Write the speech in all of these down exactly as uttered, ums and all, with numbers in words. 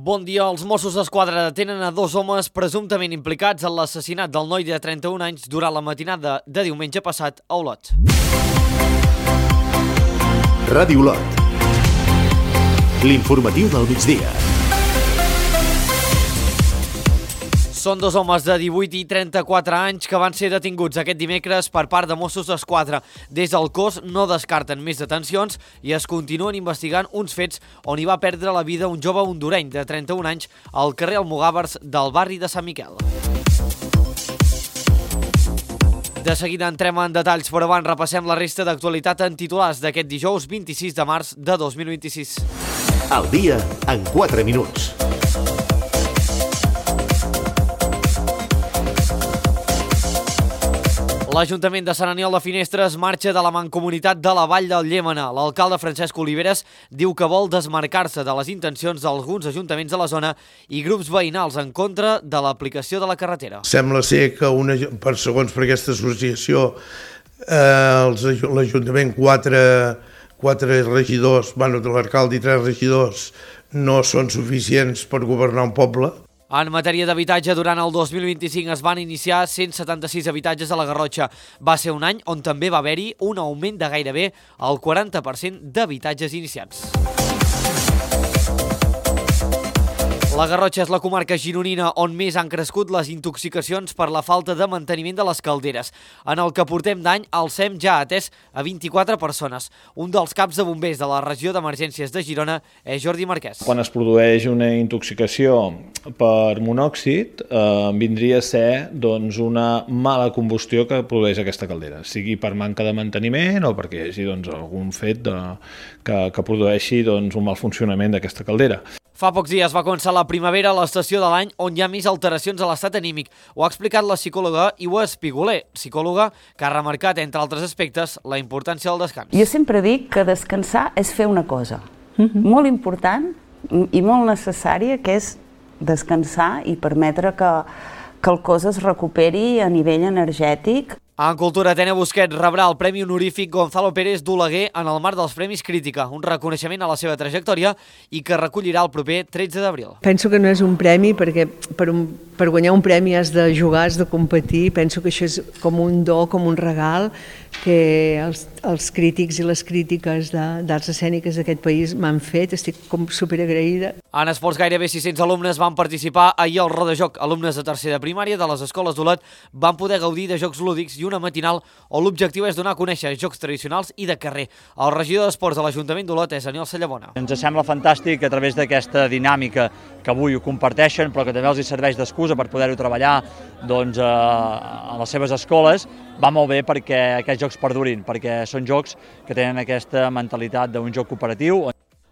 Bon dia. Els Mossos d'Esquadra detenen a dos homes presumptament implicats en l'assassinat del noi de trenta-un anys durant la matinada de diumenge passat a Olot. Ràdio Olot. L'informatiu del migdia. Són dos homes de divuit i trenta-quatre anys que van ser detinguts aquest dimecres per part de Mossos d'Esquadra. Des del cos no descarten més detencions i es continuen investigant uns fets on hi va perdre la vida un jove hondureny de trenta-un anys al carrer Almogàvers del barri de Sant Miquel. De seguida entrem en detalls, però abans repassem la resta d'actualitat en titulars d'aquest dijous vint-i-sis de març de dos mil vint-i-sis. El dia en quatre minuts. L'Ajuntament de Sant Aniol de Finestres marxa de la Mancomunitat de la Vall del Llémena. L'alcalde Francesc Oliveres diu que vol desmarcar-se de les intencions d'alguns ajuntaments de la zona i grups veïnals en contra de l'aplicació de la carretera. Sembla ser que, una, per segons per aquesta associació, eh, l'Ajuntament, quatre, quatre regidors, bueno, de l'alcalde i tres regidors, no són suficients per governar un poble. En matèria d'habitatge, durant el dos mil vint-i-cinc es van iniciar cent setanta-sis habitatges a la Garrotxa. Va ser un any on també va haver-hi un augment de gairebé el quaranta per cent d'habitatges iniciats. La Garrotxa és la comarca gironina on més han crescut les intoxicacions per la falta de manteniment de les calderes. En el que portem d'any, el S E M ja ha atès a vint-i-quatre persones. Un dels caps de bombers de la regió d'emergències de Girona és Jordi Marquès. Quan es produeix una intoxicació per monòxid, eh, vindria a ser doncs, una mala combustió que produeix aquesta caldera, sigui per manca de manteniment o perquè hi hagi doncs, algun fet de, que, que produeixi doncs, un mal funcionament d'aquesta caldera. Fa pocs dies va començar la primavera a l'estació de l'any on hi ha més alteracions a l'estat anímic. Ho ha explicat la psicòloga Iua Espiguler, psicòloga que ha remarcat, entre altres aspectes, la importància del descans. Jo sempre dic que descansar és fer una cosa uh-huh. molt important i molt necessària, que és descansar i permetre que, que el cos es recuperi a nivell energètic. En cultura, Tena Busquets rebrà el Premi Honorífic Gonzalo Pérez d'Oleguer en el marc dels Premis Crítica, un reconeixement a la seva trajectòria i que recollirà el proper tretze d'abril. Penso que no és un premi perquè per, un, per guanyar un premi has de jugar, has de competir. Penso que això és com un do, com un regal que els, els crítics i les crítiques d'arts escèniques d'aquest país m'han fet. Estic com superagraïda. En esports, gairebé sis-cents alumnes van participar ahir al Rodajoc. Alumnes de tercer de primària de les escoles d'Olot van poder gaudir de jocs lúdics i una matinal on l'objectiu és donar a conèixer jocs tradicionals i de carrer. El regidor d'Esports de l'Ajuntament d'Olot és Aniol Sallabona. Ens sembla fantàstic a través d'aquesta dinàmica que avui ho comparteixen, però que també els hi serveix d'excusa per poder-ho treballar doncs, a les seves escoles. Va molt bé perquè aquests jocs perdurin, perquè són jocs que tenen aquesta mentalitat d'un joc cooperatiu.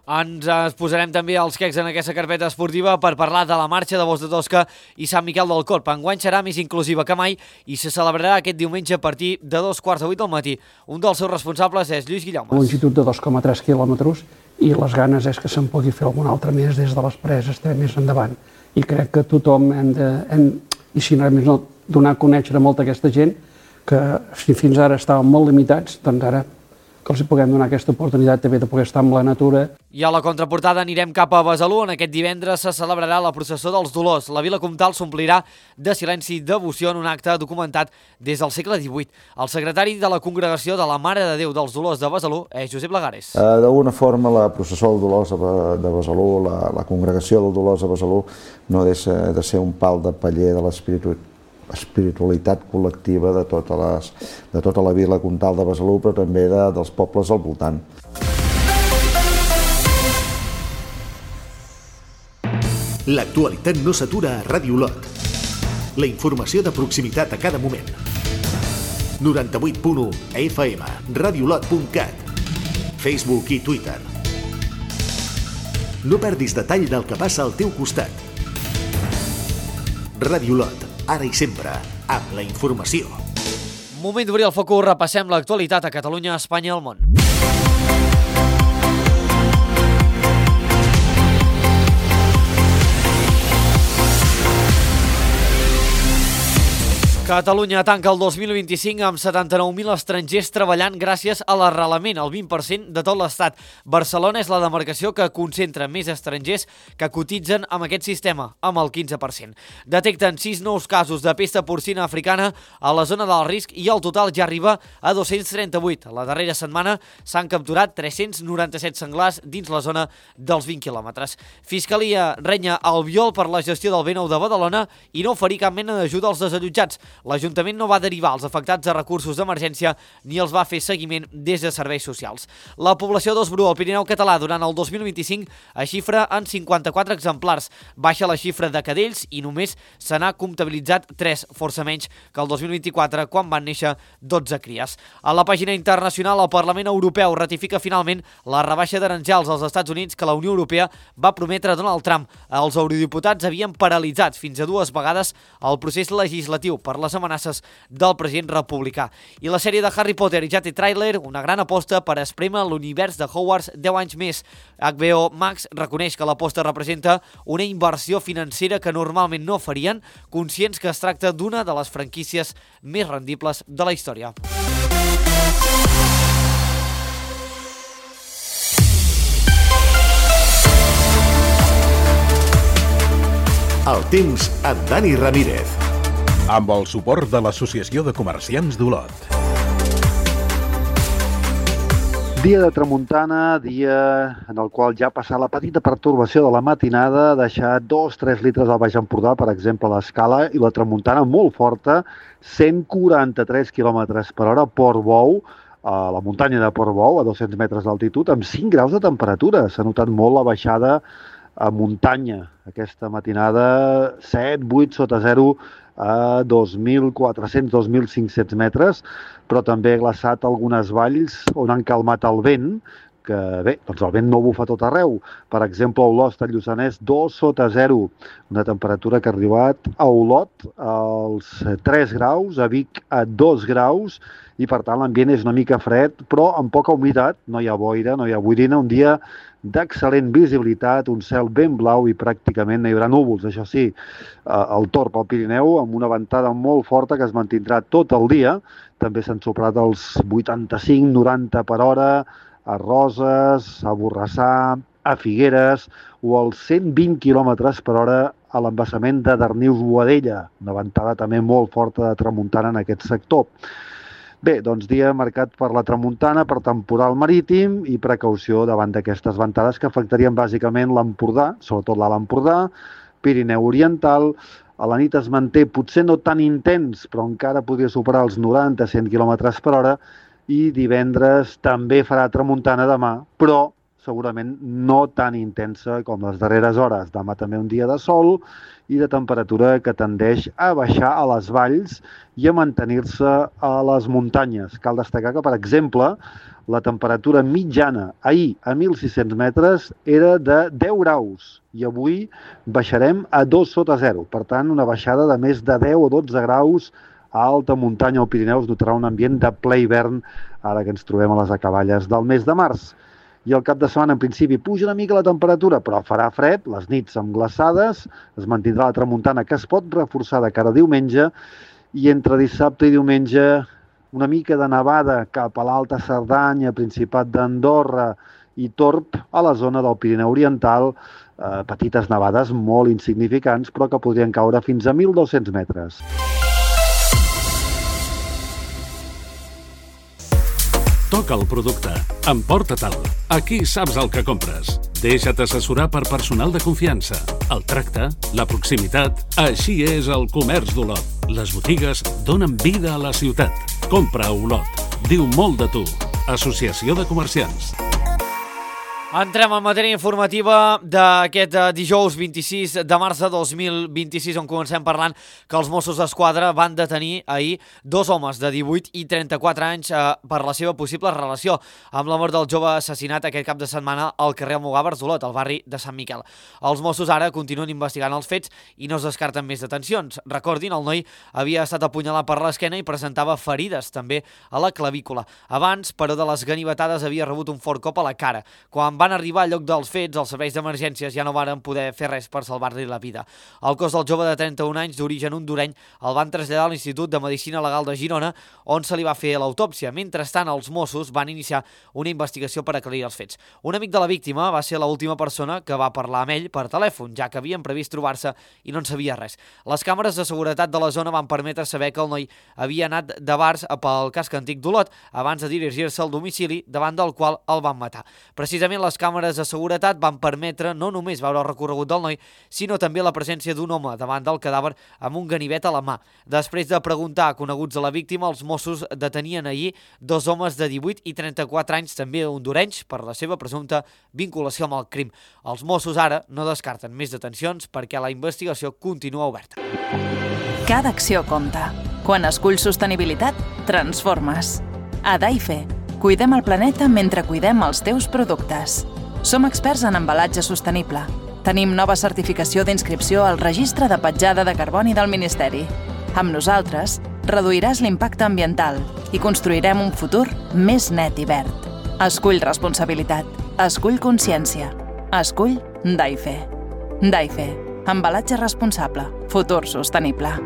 Ens posarem també els quecs en aquesta carpeta esportiva per parlar de la marxa de Bosch de Tosca i Sant Miquel del Corp. Enguany serà més inclusiva que mai i se celebrarà aquest diumenge a partir de dos quarts de vuit del matí. Un dels seus responsables és Lluís Guillaumes. Longitud de dos coma tres quilòmetres i les ganes és que se'n pugui fer algun altre més des de les preses, més endavant. I crec que tothom hem de, hem, i si no, no donar a conèixer a molta aquesta gent que si fins ara estaven molt limitats, doncs ara que els puguem donar aquesta oportunitat també de poder estar amb la natura. I a la contraportada anirem cap a Besalú, on aquest divendres se celebrarà la processó dels Dolors. La vila comtal s'omplirà de silenci i devoció en un acte documentat des del segle divuit. El secretari de la Congregació de la Mare de Déu dels Dolors de Besalú és Josep Lagares. Uh, D'alguna forma, la processó dels Dolors de Besalú, la, la Congregació dels Dolors de Besalú, no deixa de ser un pal de paller de l'espiritualitat espiritualitat col·lectiva de, tota les, de tota la vila comtal de Besalú, però també de, dels pobles al voltant. L'actualitat no s'atura a Ràdio Olot. La informació de proximitat a cada moment. noranta-vuit punt u a F M, radiolot punt cat, Facebook i Twitter. No perdis detall del que passa al teu costat. Ràdio Olot, ara i sempre, amb la informació. Moment d'obrir el focus, repassem l'actualitat a Catalunya, Espanya i el món. Catalunya tanca el dos mil vint-i-cinc amb setanta-nou mil estrangers treballant gràcies a l'arrelament, el vint per cent de tot l'Estat. Barcelona és la demarcació que concentra més estrangers que cotitzen amb aquest sistema, amb el quinze per cent. Detecten sis nous casos de pesta porcina africana a la zona del risc i el total ja arriba a dos-cents trenta-vuit. La darrera setmana s'han capturat tres-cents noranta-set senglars dins la zona dels vint quilòmetres. Fiscalia renya Albiol per la gestió del B nou de Badalona i no oferir cap mena d'ajuda als desallotjats. L'Ajuntament no va derivar els afectats a recursos d'emergència ni els va fer seguiment des de serveis socials. La població d'ós bru al Pirineu català durant el dos mil vint-i-cinc es xifra en cinquanta-quatre exemplars. Baixa la xifra de cadells i només se n'ha comptabilitzat tres, força menys que el dos mil vint-i-quatre, quan van néixer dotze cries. A la pàgina internacional, el Parlament Europeu ratifica finalment la rebaixa d'aranzels als Estats Units que la Unió Europea va prometre a Donald Trump. Els eurodiputats havien paralitzat fins a dues vegades el procés legislatiu per les amenaces del president republicà. I la sèrie de Harry Potter ja té tràiler, una gran aposta per esprémer l'univers de Hogwarts deu anys més. H B O Max reconeix que l'aposta representa una inversió financera que normalment no farien, conscients que es tracta d'una de les franquícies més rendibles de la història. El temps amb Dani Ramírez. Amb el suport de l'Associació de Comerciants d'Olot. Dia de tramuntana, dia en el qual ja ha passat la petita pertorbació de la matinada, deixar dos a tres litres al Baix Empordà, per exemple, a l'Escala, i la tramuntana molt forta, cent quaranta-tres quilòmetres per hora, Portbou, a la muntanya de Portbou, a dos-cents metres d'altitud, amb cinc graus de temperatura. S'ha notat molt la baixada a muntanya. Aquesta matinada, set, vuit sota zero, a dos mil quatre-cents, dos mil cinc-cents metres, però també ha glaçat algunes valls on han calmat el vent, que bé, doncs el vent no bufa tot arreu. Per exemple, a Olost, al Lluçanès, dos sota zero, una temperatura que ha arribat a Olot als tres graus, a Vic a dos graus, i per tant l'ambient és una mica fred, però amb poca humitat, no hi ha boira, no hi ha boirina, un dia d'excel·lent visibilitat, un cel ben blau i pràcticament no hi haurà núvols. Això sí, el Torb al Pirineu, amb una ventada molt forta que es mantindrà tot el dia. També s'han superat els vuitanta-cinc noranta per hora a Roses, a Borrassà, a Figueres, o als cent vint quilòmetres per hora a l'embassament de Darnius-Boadella, una ventada també molt forta de tramuntana en aquest sector. Bé, doncs dia marcat per la tramuntana, per temporal marítim i precaució davant d'aquestes ventades que afectarien bàsicament l'Empordà, sobretot l'Alt Empordà, Pirineu Oriental. A la nit es manté potser no tan intens, però encara podria superar els noranta a cent quilòmetres per hora, i divendres també farà tramuntana demà, però segurament no tan intensa com les darreres hores. Demà també un dia de sol i de temperatura que tendeix a baixar a les valls i a mantenir-se a les muntanyes. Cal destacar que, per exemple, la temperatura mitjana ahir a mil sis-cents metres era de deu graus i avui baixarem a dos sota zero. Per tant, una baixada de més de deu o dotze graus a alta muntanya al Pirineu. Es notarà un ambient de ple hivern ara que ens trobem a les acaballes del mes de març. I el cap de setmana, en principi, puja una mica la temperatura, però farà fred, les nits amb glaçades, es mantindrà la tramuntana que es pot reforçar de cara a diumenge, i entre dissabte i diumenge una mica de nevada cap a l'Alta Cerdanya, Principat d'Andorra i Torb, a la zona del Pirineu Oriental, eh, petites nevades molt insignificants, però que podrien caure fins a mil dos-cents metres. Toca el producte, emporta-te'l. Aquí saps el que compres. Deixa't assessorar per personal de confiança. El tracte, la proximitat, així és el comerç d'Olot. Les botigues donen vida a la ciutat. Compra a Olot. Diu molt de tu. Associació de Comerciants. Entrem en matèria informativa d'aquest dijous vint-i-sis de març de dos mil vint-i-sis, on comencem parlant que els Mossos d'Esquadra van detenir ahir dos homes de divuit i trenta-quatre anys eh, per la seva possible relació amb la mort del jove assassinat aquest cap de setmana al carrer Almogàvers d'Olot, al barri de Sant Miquel. Els Mossos ara continuen investigant els fets i no es descarten més detencions. Recordin, el noi havia estat apunyalat per l'esquena i presentava ferides també a la clavícula. Abans, però, de les ganivetades havia rebut un fort cop a la cara, quan van arribar al lloc dels fets, els serveis d'emergències ja no van poder fer res per salvar-li la vida. El cos del jove de trenta-un anys d'origen hondureny el van traslladar a l'Institut de Medicina Legal de Girona, on se li va fer l'autòpsia. Mentrestant, els Mossos van iniciar una investigació per aclarir els fets. Un amic de la víctima va ser l'última persona que va parlar amb ell per telèfon, ja que havien previst trobar-se i no en sabia res. Les càmeres de seguretat de la zona van permetre saber que el noi havia anat de bars pel casc antic d'Olot abans de dirigir-se al domicili davant del qual el van matar. Precisament les càmeres de seguretat van permetre no només veure el recorregut del noi, sinó també la presència d'un home davant del cadàver amb un ganivet a la mà. Després de preguntar a coneguts de la víctima, els Mossos detenien ahir dos homes de divuit i trenta-quatre anys, també hondurenys, per la seva presumpta vinculació amb el crim. Els Mossos ara no descarten més detencions perquè la investigació continua oberta. Cada acció compta. Quan esculls sostenibilitat, transformes. A Daife, cuidem el planeta mentre cuidem els teus productes. Som experts en embalatge sostenible. Tenim nova certificació d'inscripció al Registre de Petjada de Carboni del Ministeri. Amb nosaltres, reduiràs l'impacte ambiental i construirem un futur més net i verd. Escull responsabilitat. Escull consciència. Escull Daife. Daife. Embalatge responsable. Futur sostenible.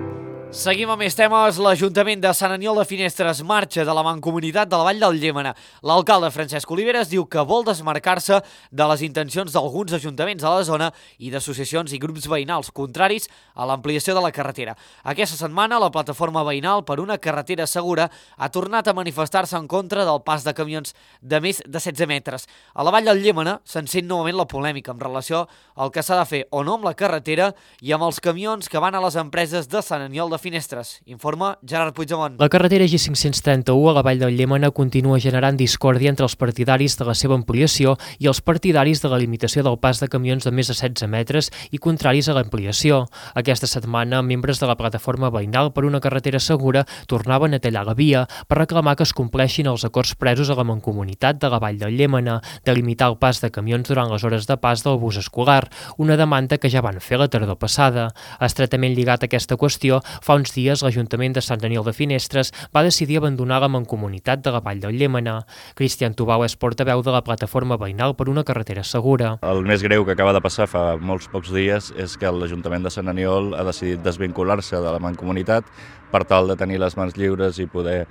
Seguim amb més temes. L'Ajuntament de Sant Aniol de Finestres marxa de la Mancomunitat de la Vall del Llémena. L'alcalde Francesc Oliveres diu que vol desmarcar-se de les intencions d'alguns ajuntaments a la zona i d'associacions i grups veïnals contraris a l'ampliació de la carretera. Aquesta setmana, la plataforma veïnal per una carretera segura ha tornat a manifestar-se en contra del pas de camions de més de setze metres. A la Vall del Llémena s'encén novament la polèmica en relació al que s'ha de fer o no amb la carretera i amb els camions que van a les empreses de Sant Aniol de Finestres. Informa Gerard Puigdemont. La carretera G cinc cents trenta-u a la Vall del Llémena continua generant discòrdia entre els partidaris de la seva ampliació i els partidaris de la limitació del pas de camions de més de setze metres i contraris a l'ampliació. Aquesta setmana, membres de la plataforma veïnal per una carretera segura tornaven a tallar la via per reclamar que es compleixin els acords presos a la Mancomunitat de la Vall del Llémena de limitar el pas de camions durant les hores de pas del bus escolar, una demanda que ja van fer la tardor passada. Estretament lligat a aquesta qüestió, fa uns dies l'Ajuntament de Sant Aniol de Finestres va decidir abandonar la Mancomunitat de la Vall del Llémena. Cristian Tubau és portaveu de la plataforma veïnal per una carretera segura. El més greu que acaba de passar fa molts pocs dies és que l'Ajuntament de Sant Aniol ha decidit desvincular-se de la Mancomunitat per tal de tenir les mans lliures i poder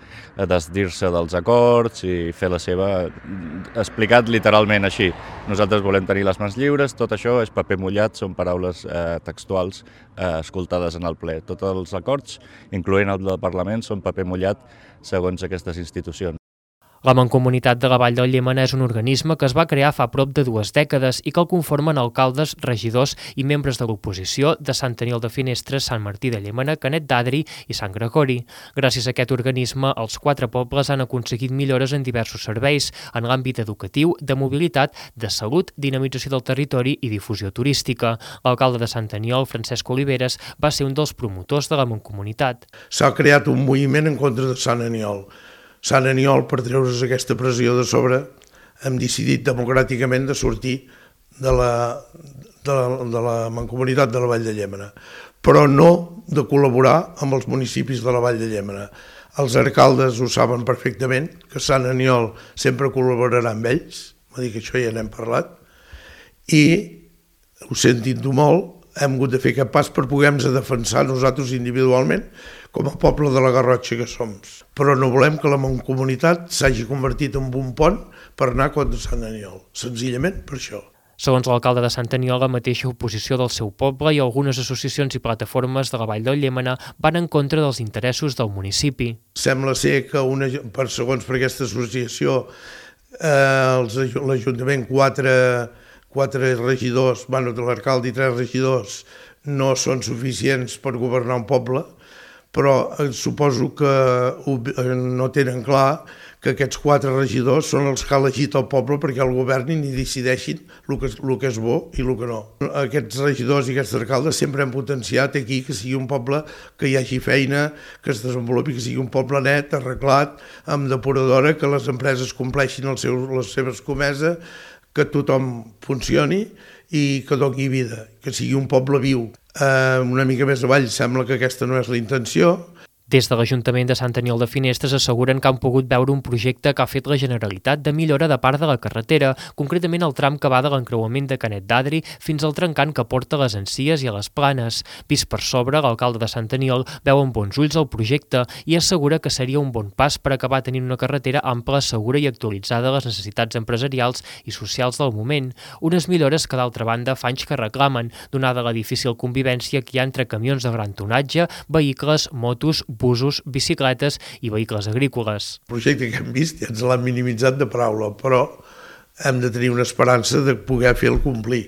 desdir-se dels acords i fer la seva, explicat literalment així. Nosaltres volem tenir les mans lliures, tot això és paper mullat, són paraules eh, textuals eh, escoltades en el ple. Tots els acords, incloent el del Parlament, són paper mullat segons aquestes institucions. La Mancomunitat de la Vall del Llémena és un organisme que es va crear fa prop de dues dècades i que el conformen alcaldes, regidors i membres de l'oposició de Sant Aniol de Finestres, Sant Martí de Llémena, Canet d'Adri i Sant Gregori. Gràcies a aquest organisme, els quatre pobles han aconseguit millores en diversos serveis, en l'àmbit educatiu, de mobilitat, de salut, dinamització del territori i difusió turística. L'alcalde de Sant Aniol, Francesc Oliveres, va ser un dels promotors de la Mancomunitat. S'ha creat un moviment en contra de Sant Aniol. Sant Aniol, per treure's aquesta pressió de sobre, hem decidit democràticament de sortir de la, de la, de la Mancomunitat de la Vall de Llémena, però no de col·laborar amb els municipis de la Vall de Llémena. Els alcaldes ho saben perfectament, que Sant Aniol sempre col·laborarà amb ells, va dir que això ja n'hem parlat, i ho sentint-ho molt, hem hagut de fer aquest pas per poder-nos defensar nosaltres individualment com a poble de la Garrotxa que som. Però no volem que la Mancomunitat s'hagi convertit en un pont per anar contra Sant Aniol, senzillament per això. Segons l'alcalde de Sant Aniol, la mateixa oposició del seu poble i algunes associacions i plataformes de la Vall del Llémena van en contra dels interessos del municipi. Sembla ser que, una, per segons per aquesta associació, eh, l'Ajuntament quatre... quatre regidors, bueno, de l'alcalde i tres regidors no són suficients per governar un poble, però suposo que no tenen clar que aquests quatre regidors són els que ha elegit el poble perquè el governin i decideixin el que, el que és bo i el que no. Aquests regidors i aquests alcaldes sempre han potenciat aquí que sigui un poble que hi hagi feina, que es desenvolupi, que sigui un poble net, arreglat, amb depuradora, que les empreses compleixin el seu, les seves comeses, que tothom funcioni i que doni vida, que sigui un poble viu. Eh, una mica més avall sembla que aquesta no és la intenció. Des de l'Ajuntament de Sant Aniol de Finestres asseguren que han pogut veure un projecte que ha fet la Generalitat de millora de part de la carretera, concretament el tram que va de l'encreuament de Canet d'Adri fins al trencant que porta a les Encies i a les Planes. Vist per sobre, l'alcalde de Sant Aniol veu amb bons ulls el projecte i assegura que seria un bon pas per acabar tenint una carretera ampla, segura i actualitzada a les necessitats empresarials i socials del moment. Unes millores que, d'altra banda, fa anys que reclamen, donada la difícil convivència que hi ha entre camions de gran tonatge, vehicles, motos, busos, bicicletes i vehicles agrícoles. El projecte que hem vist ja ens l'han minimitzat de paraula, però hem de tenir una esperança de poder fer-lo complir.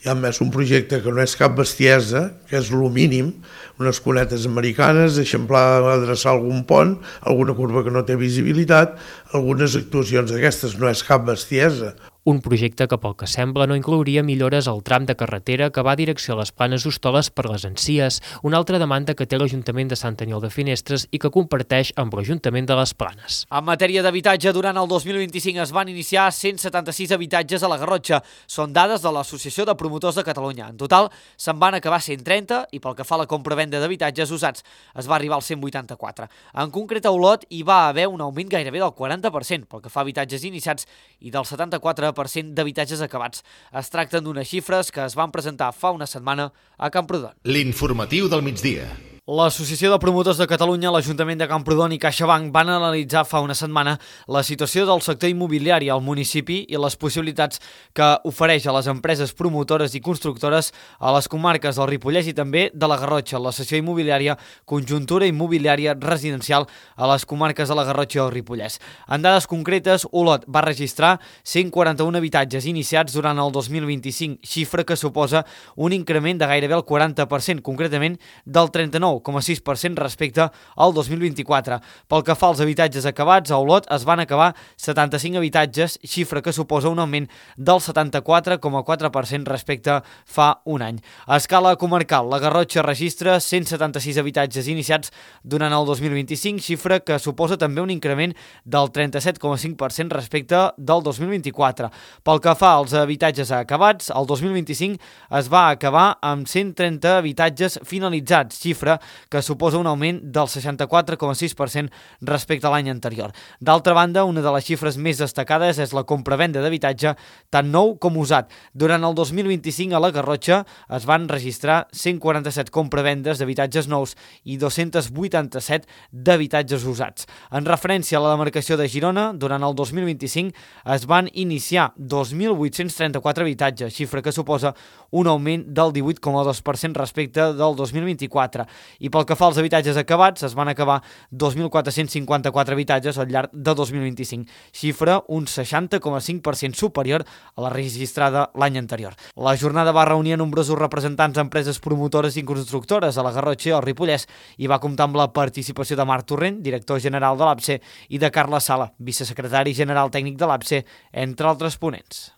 I a més un projecte que no és cap bestiesa, que és lo mínim, unes cunetes americanes, eixamplar, adreçar algun pont, alguna curva que no té visibilitat, algunes actuacions d'aquestes, no és cap bestiesa. Un projecte que, pel que sembla, no inclouria millores al tram de carretera que va a direcció a les Planes d'Hostoles per les Encies, una altra demanda que té l'Ajuntament de Sant Aniol de Finestres i que comparteix amb l'Ajuntament de les Planes. En matèria d'habitatge, durant el dos mil vint-i-cinc es van iniciar cent setanta-sis habitatges a la Garrotxa. Són dades de l'Associació de Promotors de Catalunya. En total, se'n van acabar cent trenta i pel que fa a la compra-venda d'habitatges usats es va arribar als cent vuitanta-quatre. En concret, a Olot hi va haver un augment gairebé del quaranta per cent pel que fa a habitatges iniciats i del setanta-quatre per cent d'habitatges acabats. Es tracten d'unes xifres que es van presentar fa una setmana a Camprodon. L'informatiu del migdia. L'Associació de Promotors de Catalunya, l'Ajuntament de Camprodon i CaixaBank van analitzar fa una setmana la situació del sector immobiliari al municipi i les possibilitats que ofereix a les empreses promotores i constructores a les comarques del Ripollès i també de la Garrotxa, la sessió immobiliària Conjuntura Immobiliària Residencial a les comarques de la Garrotxa i el Ripollès. En dades concretes, Olot va registrar cent quaranta-un habitatges iniciats durant el dos mil vint-i-cinc, xifra que suposa un increment de gairebé el quaranta per cent, concretament del trenta-nou coma sis per cent respecte al dos mil vint-i-quatre. Pel que fa als habitatges acabats, a Olot es van acabar setanta-cinc habitatges, xifra que suposa un augment del setanta-quatre coma quatre per cent respecte fa un any. A escala comarcal, la Garrotxa registra cent setanta-sis habitatges iniciats durant el dos mil vint-i-cinc, xifra que suposa també un increment del trenta-set coma cinc per cent respecte del dos mil vint-i-quatre. Pel que fa als habitatges acabats, el dos mil vint-i-cinc es va acabar amb cent trenta habitatges finalitzats, xifra que suposa un augment del seixanta-quatre coma sis per cent respecte a l'any anterior. D'altra banda, una de les xifres més destacades és la compra-venda d'habitatge tant nou com usat. Durant el dos mil vint-i-cinc a la Garrotxa es van registrar cent quaranta-set compravendes d'habitatges nous i dos-cents vuitanta-set d'habitatges usats. En referència a la demarcació de Girona, durant el dos mil vint-i-cinc es van iniciar dos mil vuit-cents trenta-quatre habitatges, xifra que suposa un augment del divuit coma dos per cent respecte del dos mil vint-i-quatre. I pel que fa als habitatges acabats, es van acabar dos mil quatre-cents cinquanta-quatre habitatges al llarg de dos mil vint-i-cinc, xifra un seixanta coma cinc per cent superior a la registrada l'any anterior. La jornada va reunir a nombrosos representants d'empreses promotores i constructores a la Garrotxa i al Ripollès i va comptar amb la participació de Marc Torrent, director general de l'A B C, i de Carles Sala, vicesecretari general tècnic de l'A B C, entre altres ponents.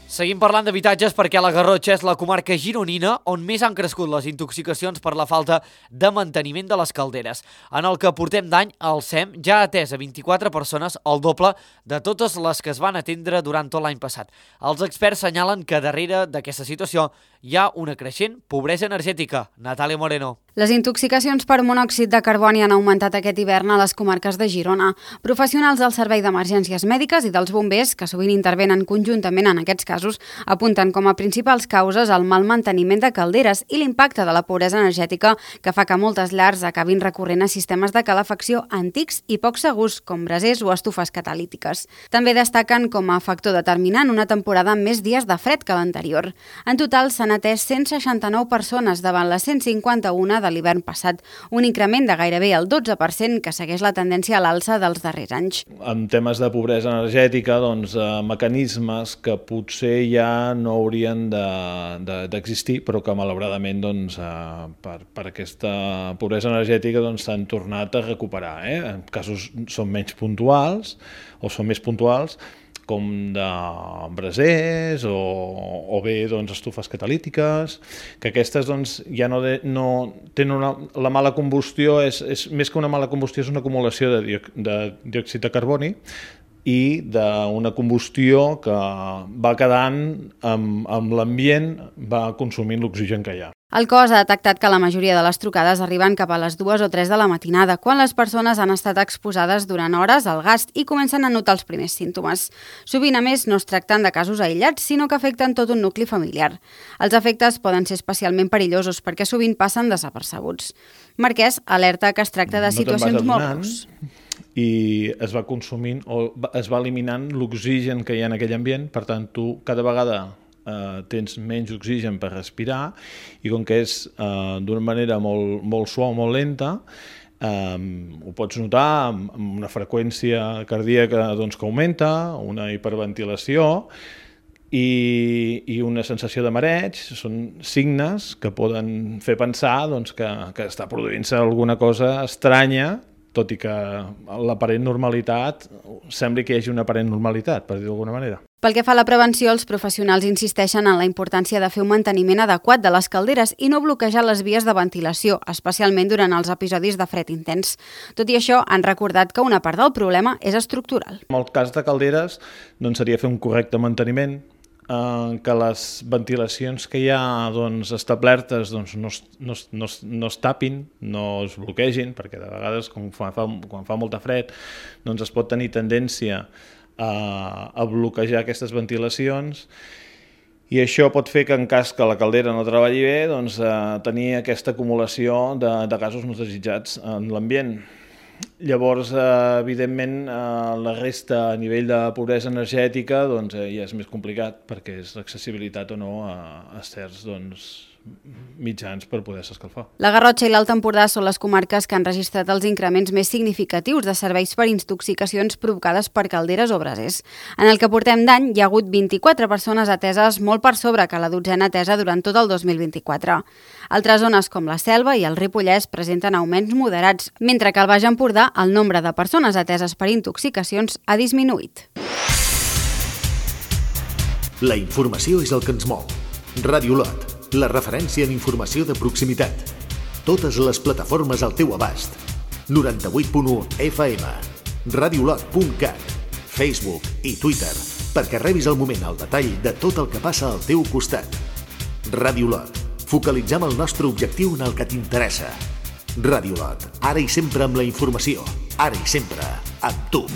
Seguim parlant d'habitatges perquè la Garrotxa és la comarca gironina on més han crescut les intoxicacions per la falta de manteniment de les calderes. En el que portem d'any, el S E M ja ha atès a vint-i-quatre persones, el doble de totes les que es van atendre durant tot l'any passat. Els experts senyalen que darrere d'aquesta situació hi ha una creixent pobresa energètica. Natàlia Moreno. Les intoxicacions per monòxid de carboni han augmentat aquest hivern a les comarques de Girona. Professionals del Servei d'Emergències Mèdiques i dels bombers, que sovint intervenen conjuntament en aquests casos, apunten com a principals causes el mal manteniment de calderes i l'impacte de la pobresa energètica que fa que moltes llars acabin recorrent a sistemes de calefacció antics i poc segurs, com brasers o estufes catalítiques. També destaquen com a factor determinant una temporada amb més dies de fred que l'anterior. En total s'han atès cent seixanta-nou persones davant les cent cinquanta-una de l'hivern passat, un increment de gairebé el dotze per cent que segueix la tendència a l'alça dels darrers anys. En temes de pobresa energètica, doncs, eh, mecanismes que potser ja no haurien d'existir, de, de, però que malauradament doncs, eh, per, per aquesta pobresa energètica doncs, s'han tornat a recuperar. Eh? En casos són menys puntuals o són més puntuals, com de brasers o, o bé doncs, estufes catalítiques, que aquestes doncs, ja no, de, no tenen una, la mala combustió, és, és, més que una mala combustió és una acumulació de, dio, de diòxid de carboni, i d'una combustió que va quedant amb, amb l'ambient, va consumint l'oxigen que hi ha. El cos ha detectat que la majoria de les trucades arriben cap a les dues o tres de la matinada, quan les persones han estat exposades durant hores al gas i comencen a notar els primers símptomes. Sovint, a més, no es tracten de casos aïllats, sinó que afecten tot un nucli familiar. Els efectes poden ser especialment perillosos perquè sovint passen desapercebuts. Marquès alerta que es tracta de situacions molt greus. I es va consumint o es va eliminant l'oxigen que hi ha en aquell ambient, per tant, tu cada vegada Uh, tens menys oxigen per respirar i com que és uh, d'una manera molt, molt suau, molt lenta, um, ho pots notar amb, amb una freqüència cardíaca doncs, que augmenta, una hiperventilació i, i una sensació de mareig. Són signes que poden fer pensar doncs, que, que està produint-se alguna cosa estranya, tot i que l'aparent normalitat, sembli que hi hagi una aparent normalitat, per dir d'alguna manera. Pel que fa a la prevenció, els professionals insisteixen en la importància de fer un manteniment adequat de les calderes i no bloquejar les vies de ventilació, especialment durant els episodis de fred intens. Tot i això, han recordat que una part del problema és estructural. En el cas de calderes, doncs, seria fer un correcte manteniment, eh, que les ventilacions que hi ha doncs, establertes doncs, no, no, no, no es tapin, no es bloquegin, perquè de vegades, quan fa, quan fa molta fred, doncs es pot tenir tendència a, a bloquejar aquestes ventilacions i això pot fer que en cas que la caldera no treballi bé, doncs, eh, tenir aquesta acumulació de, de gasos no desitjats en l'ambient. Llavors, eh, evidentment, eh, la resta a nivell de pobresa energètica doncs, eh, ja és més complicat perquè és l'accessibilitat o no a, a certs doncs, mitjans per poder-se escalfar. La Garrotxa i l'Alt Empordà són les comarques que han registrat els increments més significatius de serveis per intoxicacions provocades per calderes o brasers. En el que portem d'any hi ha hagut vint-i-quatre persones ateses, molt per sobre que la dotzena atesa durant tot el dos mil vint-i-quatre. Altres zones com la Selva i el Ripollès presenten augments moderats, mentre que al Baix Empordà el nombre de persones ateses per intoxicacions ha disminuït. La informació és el que ens mou. Ràdio Lot, la referència en informació de proximitat. Totes les plataformes al teu abast. noranta-vuit punt u F M, radiolot punt cat, Facebook i Twitter, perquè rebis al moment el detall de tot el que passa al teu costat. Ràdio Lot, focalitzem el nostre objectiu en el que t'interessa. Ràdio Lot, ara i sempre amb la informació, ara i sempre amb tu.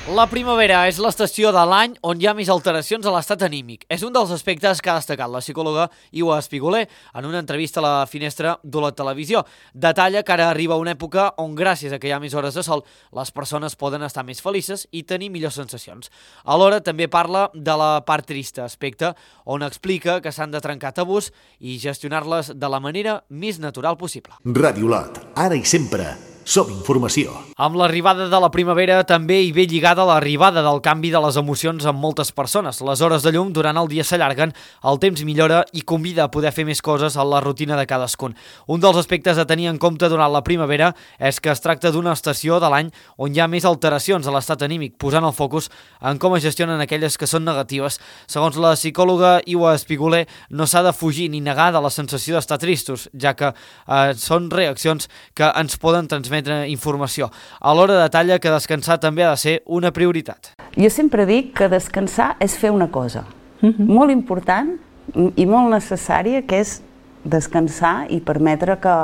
La primavera és l'estació de l'any on hi ha més alteracions a l'estat anímic. És un dels aspectes que ha destacat la psicòloga Iua Espiguler en una entrevista a la Finestra d'Olot Televisió. Detalla que ara arriba una època on, gràcies a que hi ha més hores de sol, les persones poden estar més felices i tenir millors sensacions. Alhora també parla de la part trista, aspecte on explica que s'han de trencar tabús i gestionar-les de la manera més natural possible. Ràdio Lot, ara i sempre som informació. Amb l'arribada de la primavera també hi ve lligada l'arribada del canvi de les emocions amb moltes persones. Les hores de llum durant el dia s'allarguen, el temps millora i convida a poder fer més coses a la rutina de cadascun. Un dels aspectes a tenir en compte durant la primavera és que es tracta d'una estació de l'any on hi ha més alteracions a l'estat anímic, posant el focus en com es gestionen aquelles que són negatives. Segons la psicòloga Iua Espiguler, no s'ha de fugir ni negar de la sensació d'estar tristos, ja que eh, són reaccions que ens poden transmetre informació. Alhora detalla que descansar també ha de ser una prioritat. Jo sempre dic que descansar és fer una cosa mm-hmm. molt important i molt necessària, que és descansar i permetre que,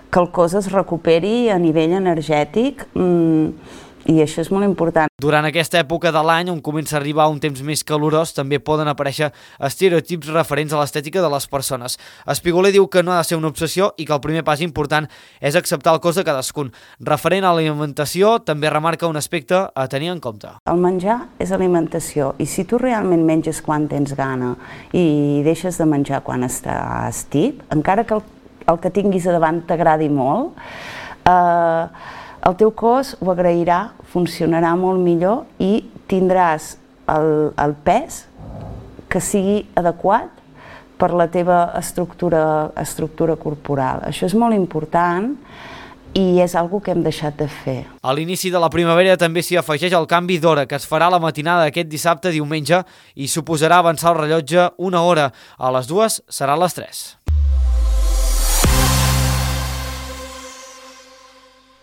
que el cos es recuperi a nivell energètic mm, i això és molt important. Durant aquesta època de l'any, on comença a arribar un temps més calorós, també poden aparèixer estereotips referents a l'estètica de les persones. Espiguler diu que no ha de ser una obsessió i que el primer pas important és acceptar el cos de cadascun. Referent a l'alimentació, també remarca un aspecte a tenir en compte. El menjar és alimentació i si tu realment menges quan tens gana i deixes de menjar quan estàs tip, encara que el, el que tinguis a davant t'agradi molt, eh, el teu cos ho agrairà, funcionarà molt millor i tindràs el, el pes que sigui adequat per la teva estructura, estructura corporal. Això és molt important i és algo que hem deixat de fer. A l'inici de la primavera també s'hi afegeix el canvi d'hora que es farà a la matinada d'aquest dissabte diumenge i suposarà avançar el rellotge una hora. A les dues serà a les tres.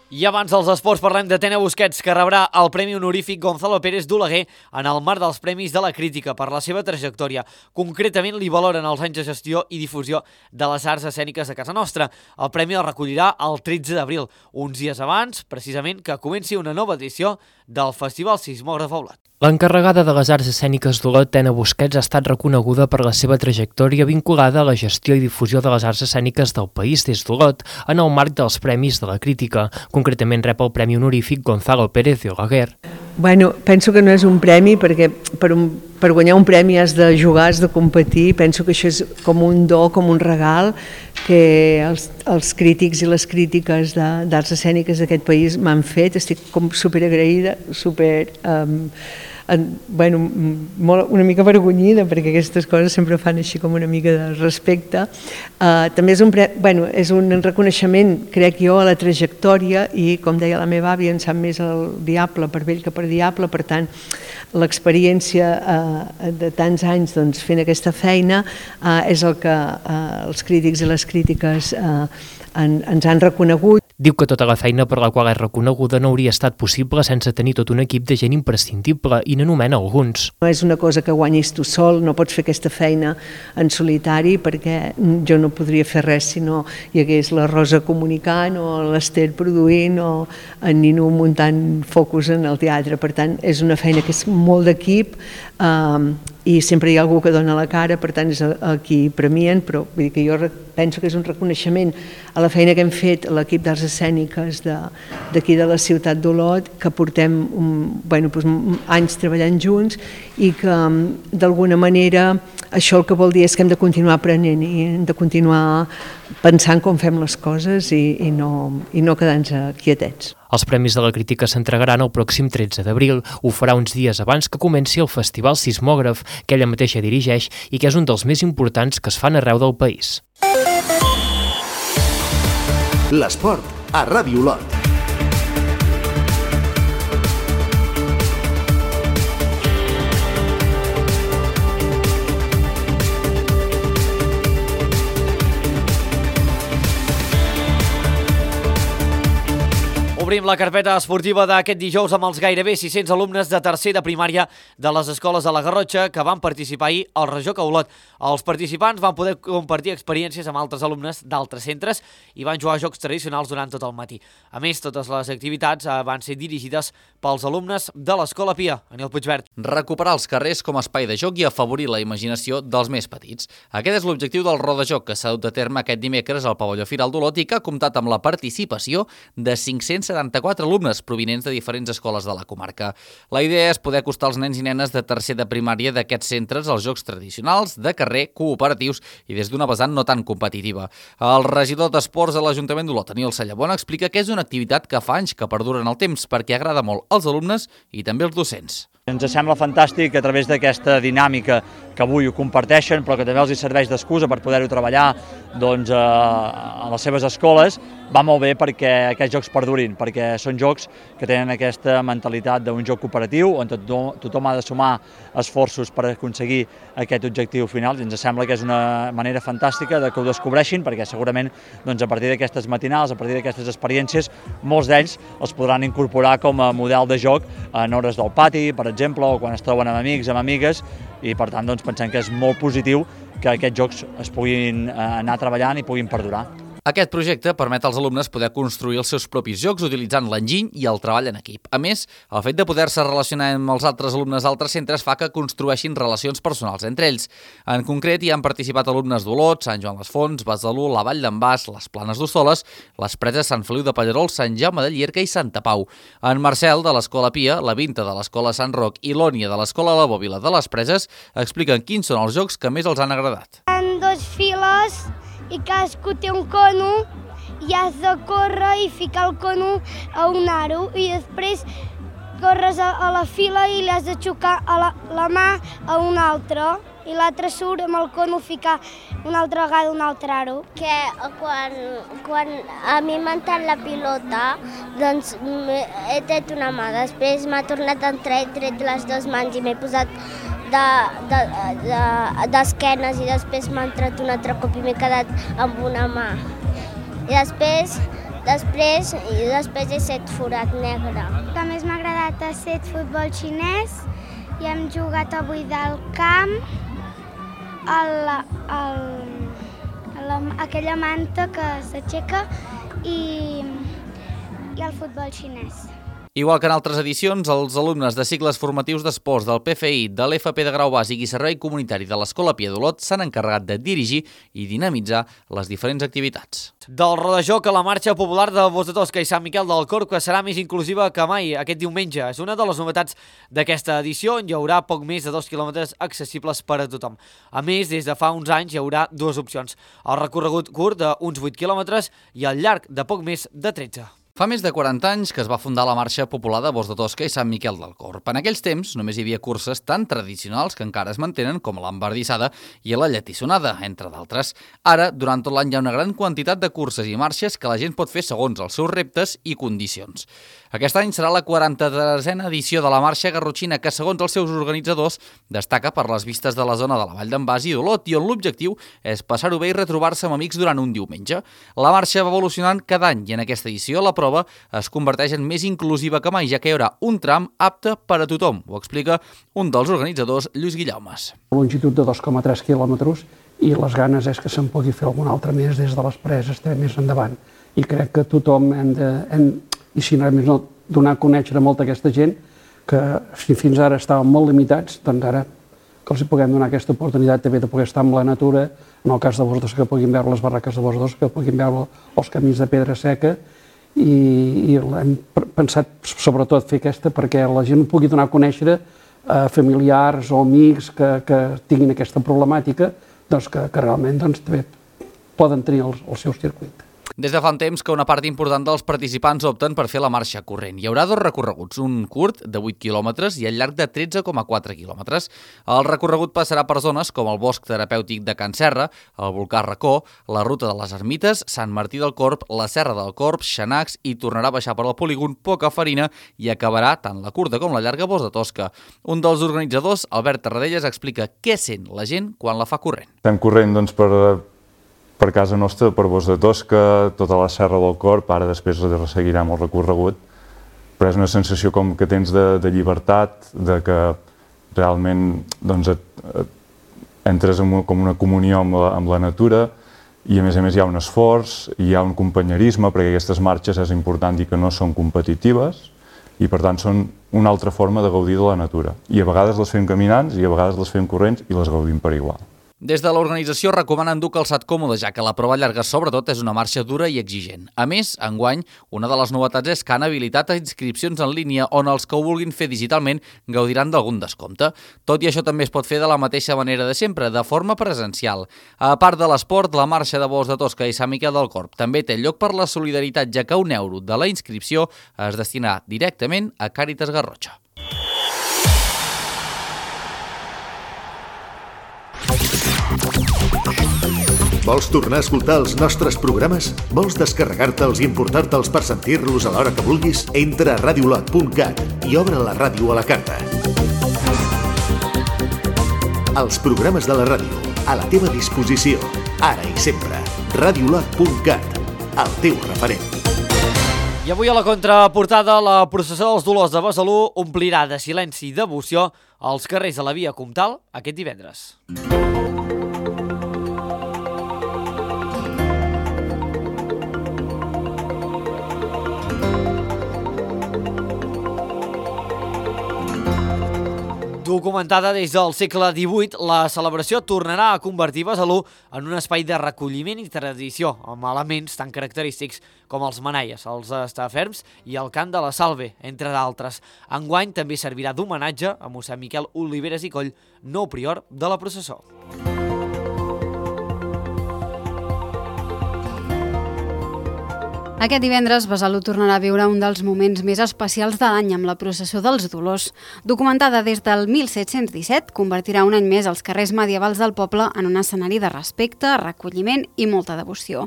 I abans dels esports parlem de Tena Busquets, que rebrà el Premi Honorífic Gonzalo Pérez d'Oleguer en el marc dels Premis de la Crítica per la seva trajectòria. Concretament li valoren els anys de gestió i difusió de les arts escèniques de casa nostra. El premi el recollirà el tretze d'abril, uns dies abans, precisament, que comenci una nova edició del Festival Sismògraf a Olot. L'encarregada de les arts escèniques d'Olot, Tena Busquets, ha estat reconeguda per la seva trajectòria vinculada a la gestió i difusió de les arts escèniques del país des d'Olot en el marc dels Premis de la Crítica. Concretament rep el Premi Honorífic Gonzalo Pérez d'Oleguer. Bueno, penso que no és un premi perquè per, un, per guanyar un premi has de jugar, has de competir. Penso que això és com un do, com un regal que els, els crítics i les crítiques d'arts escèniques d'aquest país m'han fet. Estic com superagraïda, super... Um, en, bueno, molt, una mica avergonyida perquè aquestes coses sempre fan així com una mica de respecte. Uh, també és un, pre, bueno, és un reconeixement, crec jo, a la trajectòria i, com deia la meva àvia, en sap més el diable per vell que per diable, per tant, l'experiència uh, de tants anys doncs, fent aquesta feina uh, és el que uh, els crítics i les crítiques uh, en, ens han reconegut. Diu que tota la feina per la qual és reconeguda no hauria estat possible sense tenir tot un equip de gent imprescindible i n'anomena alguns. No és una cosa que guanyis tu sol, no pots fer aquesta feina en solitari perquè jo no podria fer res si no hi hagués la Rosa comunicant o l'Ester produint o en Nino muntant focus en el teatre. Per tant, és una feina que és molt d'equip eh, i sempre hi ha algú que dona la cara, per tant és a qui premien, però vull dir que jo penso que és un reconeixement a la feina que hem fet a l'equip d'arts escèniques d'aquí de, de la ciutat d'Olot, que portem un, bueno, doncs, anys treballant junts i que d'alguna manera això el que vol dir és que hem de continuar aprenent i hem de continuar pensant com fem les coses i, i no, i no quedar-nos quietets. Els Premis de la Crítica s'entregaran el pròxim tretze d'abril. Ho farà uns dies abans que comenci el Festival Sismògraf, que ella mateixa dirigeix i que és un dels més importants que es fan arreu del país. L'esport a Ràdio Olot. Obrim la carpeta esportiva d'aquest dijous amb els gairebé sis-cents alumnes de tercer de primària de les escoles de la Garrotxa que van participar ahir al Rejoc a Olot. Els participants van poder compartir experiències amb altres alumnes d'altres centres i van jugar a jocs tradicionals durant tot el matí. A més, totes les activitats van ser dirigides pels alumnes de l'Escola Pia. Aniel Puigvert. Recuperar els carrers com a espai de joc i afavorir la imaginació dels més petits. Aquest és l'objectiu del Rodajoc que s'ha dut a terme aquest dimecres al pavelló Firal d'Olot i que ha comptat amb la participació de cinc-cents setanta-quatre alumnes provinents de diferents escoles de la comarca. La idea és poder acostar els nens i nenes de tercer de primària d'aquests centres als jocs tradicionals, de carrer, cooperatius i des d'una vessant no tan competitiva. El regidor d'Esports de l'Ajuntament d'Olot, Daniel Sallabona, explica que és una activitat que fa anys que perdura en el temps perquè agrada molt als alumnes i també als docents. Ens sembla fantàstic que a través d'aquesta dinàmica que avui ho comparteixen, però que també els serveix d'excusa per poder-ho treballar doncs, a les seves escoles, va molt bé perquè aquests jocs perdurin, perquè són jocs que tenen aquesta mentalitat d'un joc cooperatiu on tothom, tothom ha de sumar esforços per aconseguir aquest objectiu final. I ens sembla que és una manera fantàstica de que ho descobreixin, perquè segurament doncs, a partir d'aquestes matinals, a partir d'aquestes experiències, molts d'ells els podran incorporar com a model de joc en hores del pati, per exemple, o quan es troben amb amics, amb amigues, i per tant doncs, pensem que és molt positiu que aquests jocs es puguin anar treballant i puguin perdurar. Aquest projecte permet als alumnes poder construir els seus propis jocs utilitzant l'enginy i el treball en equip. A més, el fet de poder-se relacionar amb els altres alumnes d'altres centres fa que construeixin relacions personals entre ells. En concret, hi han participat alumnes d'Olot, Sant Joan les Fonts, Besalú, la Vall d'en Bas, les Planes d'Ossoles, les Preses, Sant Feliu de Pallerols, Sant Jaume de Llierca i Santa Pau. En Marcel, de l'Escola Pia, la Vinta de l'Escola Sant Roc i l'Ònia de l'Escola La Bòbila de les Preses expliquen quins són els jocs que més els han agradat. En dos files i cadascú té un cono i has de córrer i ficar el cono a un aro i després corres a, a la fila i li has de xocar a la, la mà a un altre i l'altre surt amb el cono ficar una altra vegada un altre aro. Que quan, quan a mi m'ha entrat la pilota, doncs he tret una mà, després m'ha tornat a entrar, he tret les dues mans i m'he posat d'esquenes de, de, de, i després m'ha entrat un altre cop i m'he quedat amb una mà. I després després, i després he set forat negre. El que més m'ha agradat ha estat futbol xinès i hem jugat avui del camp a, la, a, la, a aquella manta que s'aixeca i, i el futbol xinès. Igual que en altres edicions, els alumnes de cicles formatius d'esports del P F I, de l'F P de Grau Bàsic i Servei Comunitari de l'Escola Pia d'Olot s'han encarregat de dirigir i dinamitzar les diferents activitats. Del rodajoc a la marxa popular de Bos de Tosca i Sant Miquel del Corb, que serà més inclusiva que mai aquest diumenge. És una de les novetats d'aquesta edició, on hi haurà poc més de dos quilòmetres accessibles per a tothom. A més, des de fa uns anys hi haurà dues opcions: el recorregut curt d'uns vuit quilòmetres i el llarg de poc més de tretze. Fa més de quaranta anys que es va fundar la Marxa Popular de Bos de Tosca i Sant Miquel del Corb. En aquells temps només hi havia curses tan tradicionals que encara es mantenen, com l'embardissada i la lletissonada, entre d'altres. Ara, durant tot l'any hi ha una gran quantitat de curses i marxes que la gent pot fer segons els seus reptes i condicions. Aquest any serà la quaranta-tercera edició de la Marxa Garrotxina, que segons els seus organitzadors destaca per les vistes de la zona de la Vall d'en Bas i d'Olot, i on l'objectiu és passar-ho bé i retrobar-se amb amics durant un diumenge. La marxa va evolucionant cada any i en aquesta edició la prova es converteix en més inclusiva que mai, ja que hi haurà un tram apte per a tothom. Ho explica un dels organitzadors, Lluís Guillaumes. Longitud de dos coma tres quilòmetres i les ganes és que se'n pugui fer algun altre més des de les preses, també més endavant. I crec que tothom hem de, hem, i si no, no donar a conèixer a molta aquesta gent que si fins ara estaven molt limitats, doncs ara que els puguem donar aquesta oportunitat també de poder estar amb la natura, en el cas de Bos de Tosca que puguin veure les barraques de Bos de Tosca, que puguin veure els camins de pedra seca, i, i hem pensat sobretot fer aquesta perquè la gent pugui donar a conèixer a familiars o amics que, que tinguin aquesta problemàtica, doncs que, que realment doncs, també poden tenir el, el seu circuit. Des de fa un temps que una part important dels participants opten per fer la marxa corrent. Hi haurà dos recorreguts, un curt de vuit quilòmetres i el llarg de tretze coma quatre quilòmetres. El recorregut passarà per zones com el bosc terapèutic de Can Serra, el volcà Racó, la ruta de les Ermites, Sant Martí del Corb, la Serra del Corb, Xanacs, i tornarà a baixar per al polígon Poca Farina i acabarà tant la curta com la llarga Bos de Tosca. Un dels organitzadors, Albert Tarradellas, explica què sent la gent quan la fa corrent. Estem corrent doncs, per... per casa nostra, per Bos de Tosca, tota la Serra del Corb, ara després seguirem el recorregut, però és una sensació com que tens de, de llibertat, de que realment doncs, et, et entres en com una comunió amb la, amb la natura, i a més a més hi ha un esforç, hi ha un companyerisme, perquè aquestes marxes és important dir que no són competitives, i per tant són una altra forma de gaudir de la natura. I a vegades les fem caminants, i a vegades les fem corrents, i les gaudim per igual. Des de l'organització recomanen dur calçat còmode, ja que la prova llarga sobretot és una marxa dura i exigent. A més, enguany, una de les novetats és que han habilitat inscripcions en línia on els que ho vulguin fer digitalment gaudiran d'algun descompte. Tot i això també es pot fer de la mateixa manera de sempre, de forma presencial. A part de l'esport, la marxa de Bos de Tosca i Sant Miquel del Corb també té lloc per la solidaritat, ja que un euro de la inscripció es destinarà directament a Càritas Garrotxa. Vols tornar a escoltar els nostres programes? Vols descarregar-te'ls i importar-te'ls per sentir-los a l'hora que vulguis? Entra a radiolot punt cat i obre la ràdio a la carta. Els programes de la ràdio, a la teva disposició, ara i sempre. radiolot punt cat, el teu referent. I avui a la contraportada, la processó dels Dolors de Besalú omplirà de silenci i devoció els carrers de la Via Comtal aquest divendres. Documentada des del segle divuit, la celebració tornarà a convertir Besalú en un espai de recolliment i tradició, amb elements tan característics com els manaies, els estaferms i el cant de la salve, entre d'altres. Enguany també servirà d'homenatge a mossèn Miquel Oliveres i Coll, nou prior de la processó. Aquest divendres, Besalú tornarà a viure un dels moments més especials de l'any amb la processó dels Dolors. Documentada des del mil set-cents disset, convertirà un any més els carrers medievals del poble en un escenari de respecte, recolliment i molta devoció.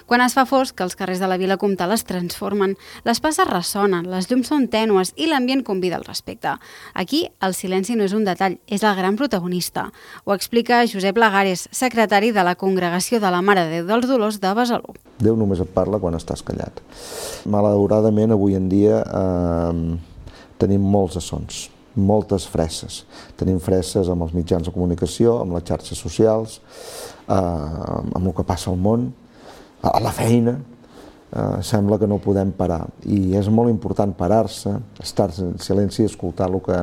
Quan es fa fosc, els carrers de la Vila Comtal es transformen, les passes ressonen, les llums són tènues i l'ambient convida al respecte. Aquí, el silenci no és un detall, és el gran protagonista. Ho explica Josep Lagares, secretari de la Congregació de la Mare de Déu dels Dolors de Besalú. Déu només et parla quan estàs callat. tallat. Malauradament, avui en dia eh, tenim molts assons, moltes fresses. Tenim fresses amb els mitjans de comunicació, amb les xarxes socials, eh, amb el que passa al món, a la feina. Uh, sembla que no podem parar i és molt important parar-se, estar en silenci i escoltar el que,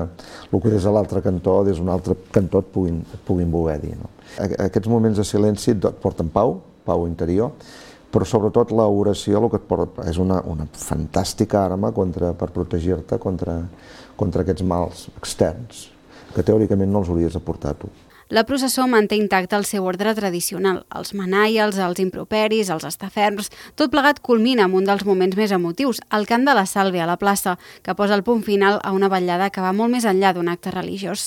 el que des de l'altre cantó, des d'un altre cantó et puguin, et puguin voler dir. No? Aquests moments de silenci et porten pau, pau interior, però sobretot l'oració el que et porta, és una, una fantàstica arma contra, per protegir-te contra, contra aquests mals externs que teòricament no els hauries de portar a tu. La processó manté intacte el seu ordre tradicional, els manaials, els improperis, els estaferms, tot plegat culmina amb un dels moments més emotius, el cant de la Sàlvia a la plaça, que posa el punt final a una vetllada que va molt més enllà d'un acte religiós.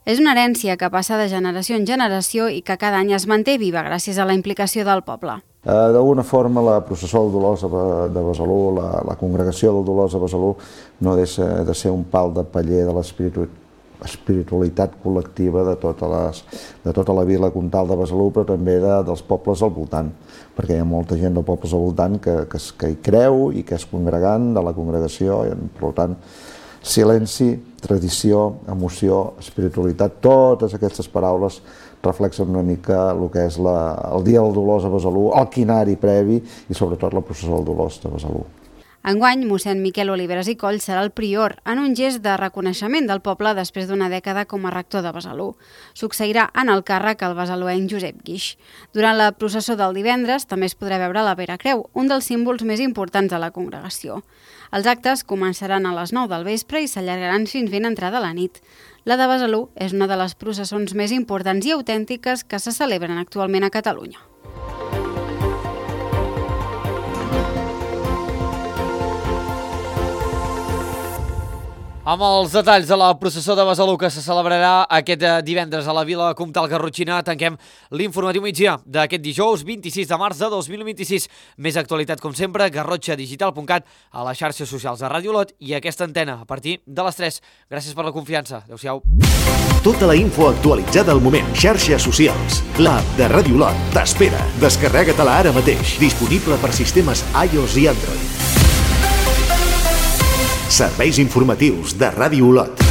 És una herència que passa de generació en generació i que cada any es manté viva gràcies a la implicació del poble. Uh, D'alguna forma, la processó del Dolors de Besalú, la, la congregació del Dolors de Besalú, no deixa de ser un pal de paller de l'espiritu espiritualitat col·lectiva de, totes les, de tota la vila comtal de Besalú, però també de, dels pobles al voltant, perquè hi ha molta gent dels pobles al voltant que, que, que hi creu i que és congregant de la congregació, i, per tant, silenci, tradició, emoció, espiritualitat, totes aquestes paraules reflexen una mica el que és la, el Dia del Dolors a Besalú, el quinari previ i sobretot la processó del Dolors de Besalú. Enguany, mossèn Miquel Oliveras i Coll serà el prior en un gest de reconeixement del poble després d'una dècada com a rector de Besalú. Succeirà en el càrrec el besaluenc Josep Guix. Durant la processó del divendres també es podrà veure la Vera Creu, un dels símbols més importants de la congregació. Els actes començaran a les nou del vespre i s'allargaran fins ben entrada la nit. La de Besalú és una de les processons més importants i autèntiques que se celebren actualment a Catalunya. Amb els detalls de la processó de Besalú que se celebrarà aquest divendres a la Vila Comtal Garrotxina, tanquem l'informatiu migdia d'aquest dijous vint-i-sis de març de dos mil vint-i-sis. Més actualitat, com sempre, garrotxa digital punt cat, a les xarxes socials de Ràdio Olot i aquesta antena a partir de les tres. Gràcies per la confiança. Adéu-siau. Tota la info actualitzada al moment. Xarxes socials. L'app de Ràdio Olot t'espera. Descarrega-te-la ara mateix. Disponible per sistemes iOS i Android. Serveis informatius de Ràdio Olot.